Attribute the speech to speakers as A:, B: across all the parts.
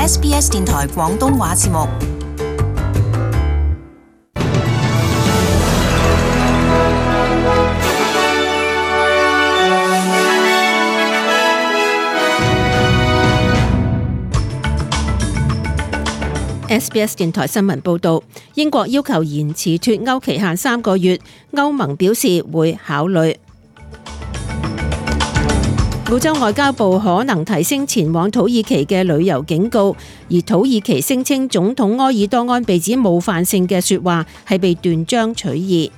A: SBS 電台廣東話節目。
B: SBS 電台新聞報導，英國要求延遲脫歐期限3個月，歐盟表示會考慮。澳洲外交部可能提升前往土耳其嘅旅遊警告，而土耳其聲稱總統埃爾多安被指冒犯性嘅說話係被斷章取義。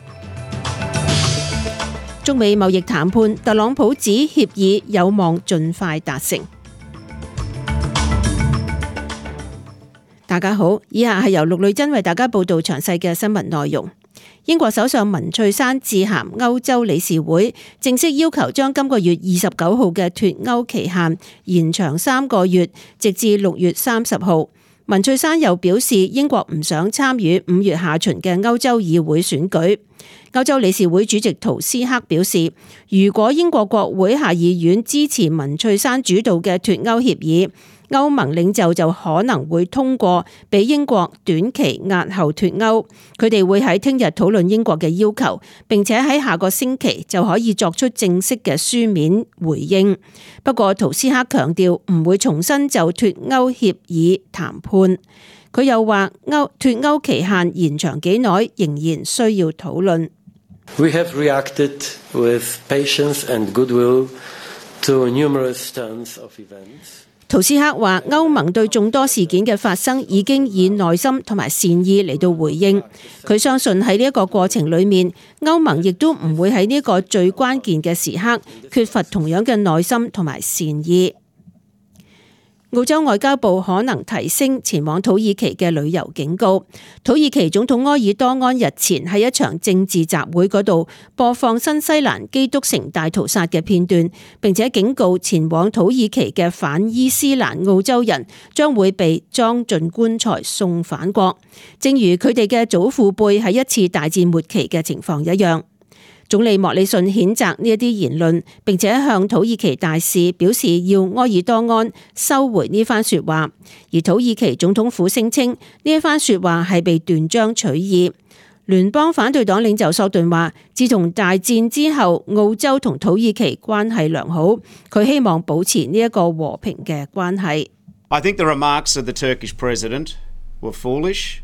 B: 中美貿易談判，特朗普指協議有望盡快達成。大家好，以下係由陸女真為大家報道詳細嘅新聞內容。英國首相文翠珊致函歐洲理事會，正式要求將今個月29號嘅脫歐期限延長3個月，直至6月30號。文翠珊又表示，英國唔想參與5月下旬嘅歐洲議會選舉。歐洲理事會主席圖斯克表示，如果英國國會下議院支持文翠珊主導嘅脫歐協議，歐盟領袖就可能會通過俾英國短期押後脫歐。佢哋會喺聽日討論英國嘅要求，並且喺下個星期就可以作出正式嘅書面回應。不過圖斯克強調唔會重新就脫歐協議談判。佢又話脫歐期限延長幾耐仍然需要討論。
C: We have reacted with patience and goodwill to numerous turns of events.
B: 圖斯克話，歐盟對眾多事件嘅發生已經以耐心同埋善意嚟到回應。佢相信喺呢一個過程裏面，歐盟亦都唔會喺呢個最關鍵嘅時刻缺乏同樣嘅耐心同埋善意。澳洲外交部可能提升前往土耳其嘅旅遊警告。土耳其總統埃爾多安日前喺一場政治集會嗰度播放新西蘭基督城大屠殺嘅片段，並且警告前往土耳其嘅反伊斯蘭澳洲人將會被裝進棺材送返國，正如佢哋嘅祖父輩喺一次大戰末期嘅情況一樣。總理莫里遜譴責呢一啲言論，並且向土耳其大使表示要埃爾多安收回呢番說話。而土耳其總統府聲稱呢一番說話係被斷章取義。聯邦反對黨領袖索頓話，自從大戰之後，澳洲同土耳其關係良好，佢希望保持呢一個和平嘅關係。
D: I think the remarks of the Turkish president were foolish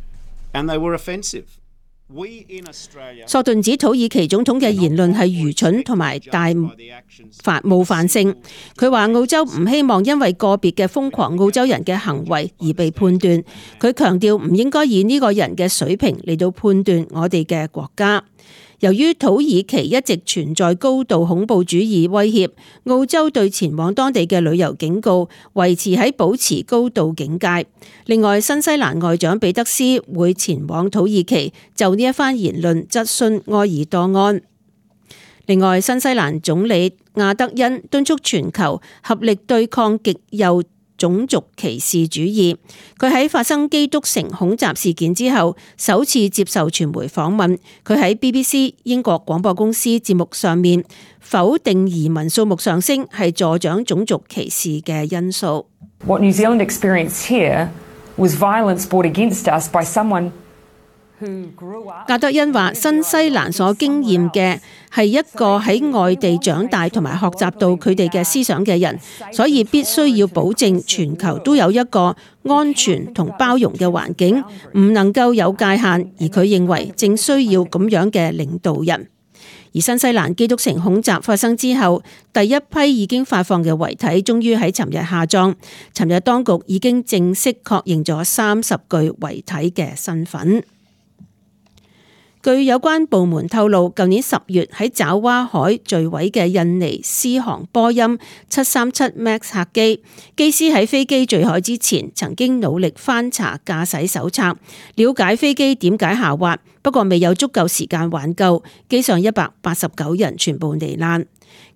D: and they were offensive.
B: 索頓指土耳其總統嘅言論係愚蠢同埋大冒犯性。佢話澳洲唔希望因為個別嘅瘋狂澳洲人嘅行為而被判斷。佢強調唔應該以呢個人嘅水平嚟到判斷我哋嘅國家。由於土耳其一直存在高度恐怖主義威脅，澳洲對前往當地嘅旅遊警告維持喺保持高度警戒。另外，新西蘭外長彼得斯會前往土耳其就呢一番言論質詢埃爾多安。另外，新西蘭總理亞德恩敦促全球合力對抗極右種族歧視主義。佢喺發生基督城恐襲事件之後，首次接受傳媒訪問。佢喺 BBC 英國廣播公司節目上面否定移民數目上升係助長種族歧視嘅因素。
E: What New Zealand experienced here was violence brought against us by someone.
B: 亞德恩話：新西蘭所經驗嘅係一個喺外地長大同埋學習到佢哋嘅思想嘅人，所以必須要保證全球都有一個安全同包容嘅環境，唔能夠有界限。而佢認為正需要咁樣嘅領導人。而新西蘭基督城恐襲發生之後，第一批已經發放嘅遺體終於喺尋日下葬。尋日當局已經正式確認咗30具遺體嘅身份。據有關部門透露，舊年10月喺爪哇海墜毀嘅印尼獅航波音737 MAX 客機，機師喺飛機墜海之前曾經努力翻查駕駛手冊，了解飛機點解下滑，不過未有足夠時間挽救，機上189人全部罹難。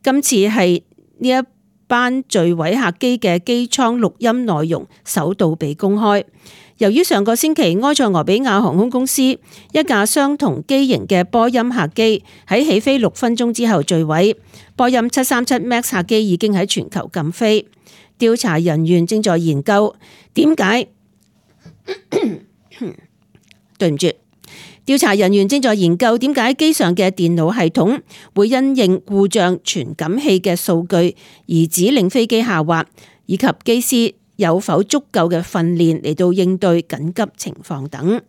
B: 今次係呢一班墜毀客機嘅機艙錄音內容首度被公開。由於上個星期埃塞俄比亞航空公司一架相同機型嘅波音客機喺起飛6分鐘之後墜毀，波音737 MAX 客機已經喺全球禁飛。調查人員正在研究點解對唔住。調查人員正在研究點解機上嘅電腦系統會因應故障傳感器嘅數據而指令飛機下滑，以及機師有否足夠嘅訓練嚟到應對緊急情況等。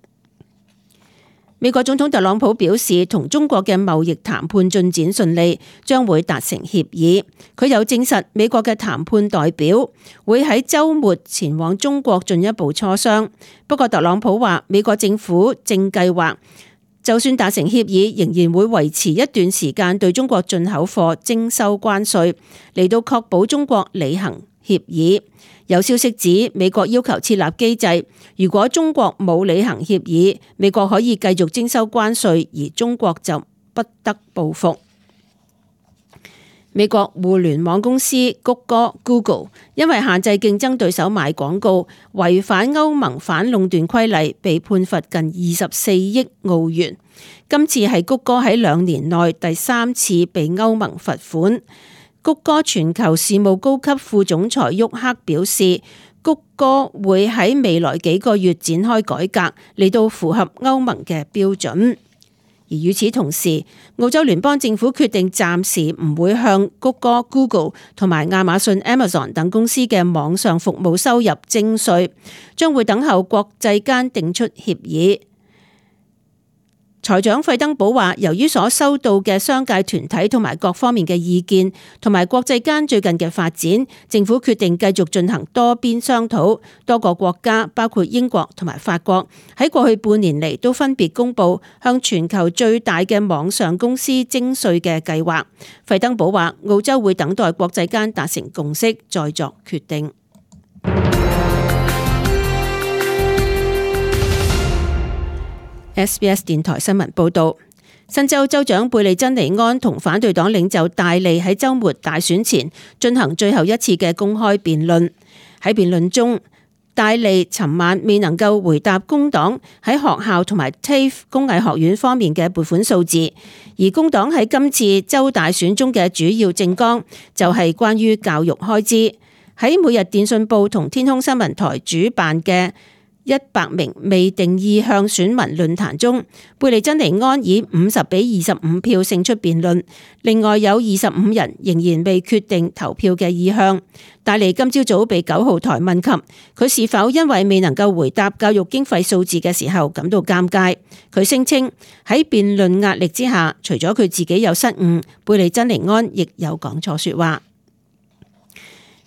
B: 美國總統特朗普表示，同中國嘅貿易談判進展順利，將會達成協議。佢有證實美國嘅談判代表會喺週末前往中國進一步磋商。不過特朗普話，美國政府正計劃，就算達成協議，仍然會維持一段時間對中國進口貨徵收關稅，嚟到確保中國履行協議。有消息指，美國要求設立機制，如果中國冇履行協議，美國可以繼續徵收關稅，而中國就不得報復。美國互聯網公司谷歌 Google 因為限制競爭對手賣廣告，違反歐盟反壟斷規例，被判罰近24億澳元。今次係谷歌喺2年內第3次被歐盟罰款。谷歌全球事務高級副總裁沃克表示，谷歌會喺未來幾個月展開改革，嚟到符合歐盟嘅標準。而與此同時，澳洲聯邦政府決定暫時唔會向谷歌 Google 同埋亞馬遜 Amazon 等公司嘅網上服務收入徵稅，將會等候國際間定出協議。財長費登堡話，由於所收到嘅商界團體同埋各方面嘅意見，同埋國際間最近嘅發展，政府決定繼續進行多邊商討。多個國家，包括英國同埋法國，喺過去半年嚟都分別公布向全球最大嘅網上公司徵稅嘅計劃。費登堡話，澳洲會等待國際間達成共識，再作決定。SBS 電台新聞報道，新州州長貝利珍尼安同反對黨領袖戴利喺週末大選前進行最後一次嘅公開辯論。喺辯論中，戴利尋晚未能夠回答工黨喺學校同埋 TAFE 工藝學院方面嘅撥款數字，而工黨喺今次州大選中嘅主要政綱就係關於教育開支。喺每日電訊報同天空新聞台主辦嘅100名未定意向選民論壇中，貝利珍尼安以50-25票勝出辯論。另外有25人仍然未決定投票嘅意向。戴利今朝早被9號台問及佢是否因為未能夠回答教育經費數字嘅時候感到尷尬，佢聲稱喺辯論壓力之下，除咗佢自己有失誤，貝利珍尼安亦有講錯說話。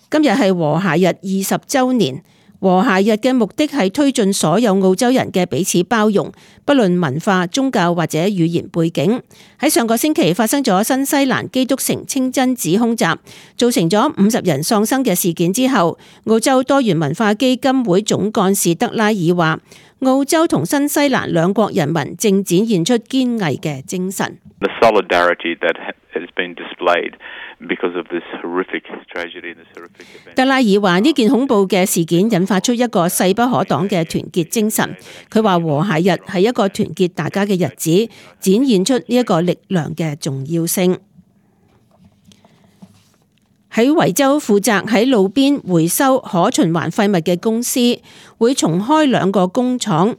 B: 今日係和諧日20週年。和諧日嘅目的係推進所有澳洲人嘅彼此包容，不論文化、宗教或者語言背景。喺上個星期發生咗新西蘭基督城清真寺空襲，造成咗50人喪生嘅事件之後，澳洲多元文化基金會總幹事德拉爾話，澳洲同新西蘭兩國人民正展現出堅毅嘅精神。
F: The solidarity that has been displayed because of this horrific tragedy and this horrific event.
B: 德拉爾話呢件恐怖嘅事件引發出一個勢不可擋嘅團結精神。佢話和諧日係一個團結大家嘅日子，展現出呢一個力量嘅重要性。喺維州負責喺路邊回收可循環廢物嘅公司會重開2個工廠。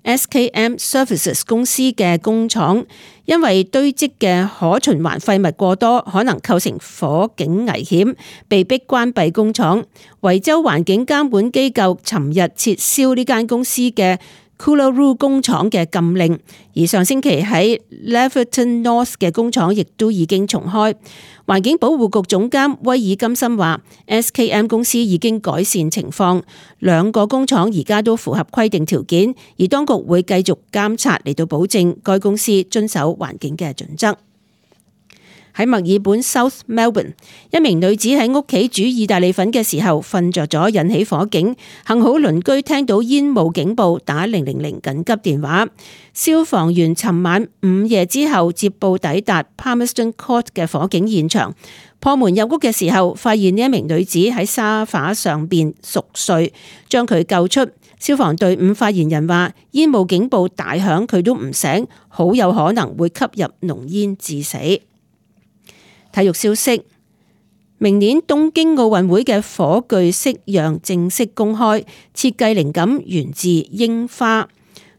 B: SKM Services 公司嘅工廠因為堆積嘅可循環廢物過多，可能構成火警危險，被迫關閉工廠。維州環境監管機構尋日撤銷呢間公司嘅 Coolaroo 工廠嘅禁令，而上星期喺 Leverton North 嘅工廠亦都已經重開。環境保護局總監威爾金森話 SKM 公司已經改善情況，2個工廠而家都符合規定條件，而當局會繼續監察嚟到保證該公司遵守環境嘅準則。喺墨爾本 South Melbourne， 一名女子喺屋企煮意大利粉嘅時候瞓着咗，引起火警。幸好鄰居聽到煙霧警報，打000緊急電話。消防員尋晚午夜之後接報抵達 Palmerston Court 嘅火警現場，破門入屋嘅時候，發現呢一名女子喺沙發上邊熟睡，將佢救出。消防隊伍發言人話，煙霧警報大響，佢都唔醒，好有可能會吸入濃煙致死。體育消息，明年東京奧運會嘅火炬式樣正式公開，設計靈感源自櫻花。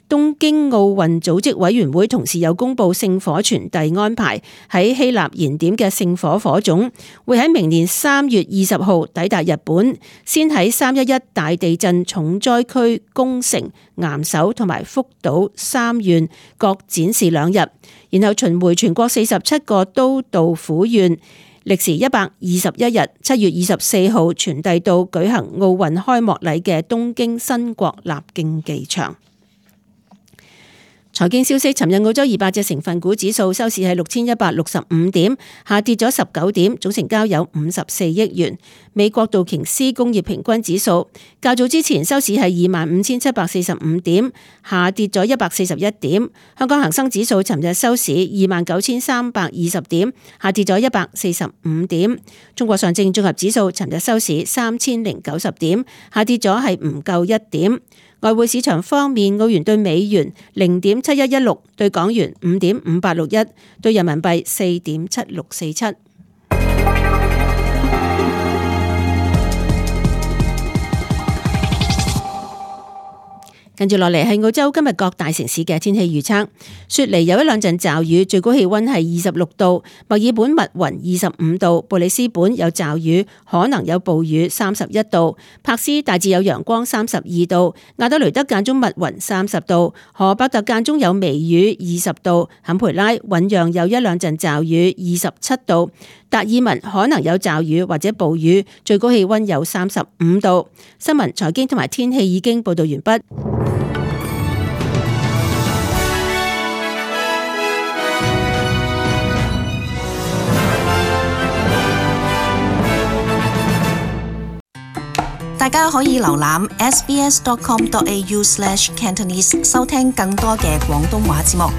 B: 東京奧運組織委員會同時有公布聖火傳遞安排，喺希臘燃點嘅聖火火種會喺明年3月20號抵達日本，先喺311大地震重災區宮城、岩手同埋福島3縣各展示2日，然後巡迴全國47個都道府縣，歷時121日，7月24號傳遞到舉行奧運開幕禮嘅東京新國立競技場。財經消息，尋日澳洲200隻成分股指數收市係6165點，下跌咗19點，總成交有54億元。美國道瓊斯工業平均指數較早之前收市係25,745點，下跌咗141點。香港恒生指數尋日收市29,320點，下跌咗145點。中國上證綜合指數尋日收市3090點，下跌咗係唔夠1點。外匯市場方面，澳元對美元0.7116，對港元5.5861，對人民幣4.7647。跟住落嚟係澳洲今日各大城市嘅天氣預測。雪梨有1-2陣驟雨，最高氣溫係26度；墨爾本密雲25度；布里斯本有驟雨，可能有暴雨31度；柏斯大致有陽光32度；亞德雷德間中密雲30度；荷伯特間中有微雨20度；坎培拉醞釀有1-2陣驟雨27度；達爾文可能有驟雨或者暴雨，最高氣溫有35度。新聞、財經同埋天氣已經報道完畢。
A: 大家可以瀏覽 sbs.com.au/cantonese 收聽更多嘅廣東話節目。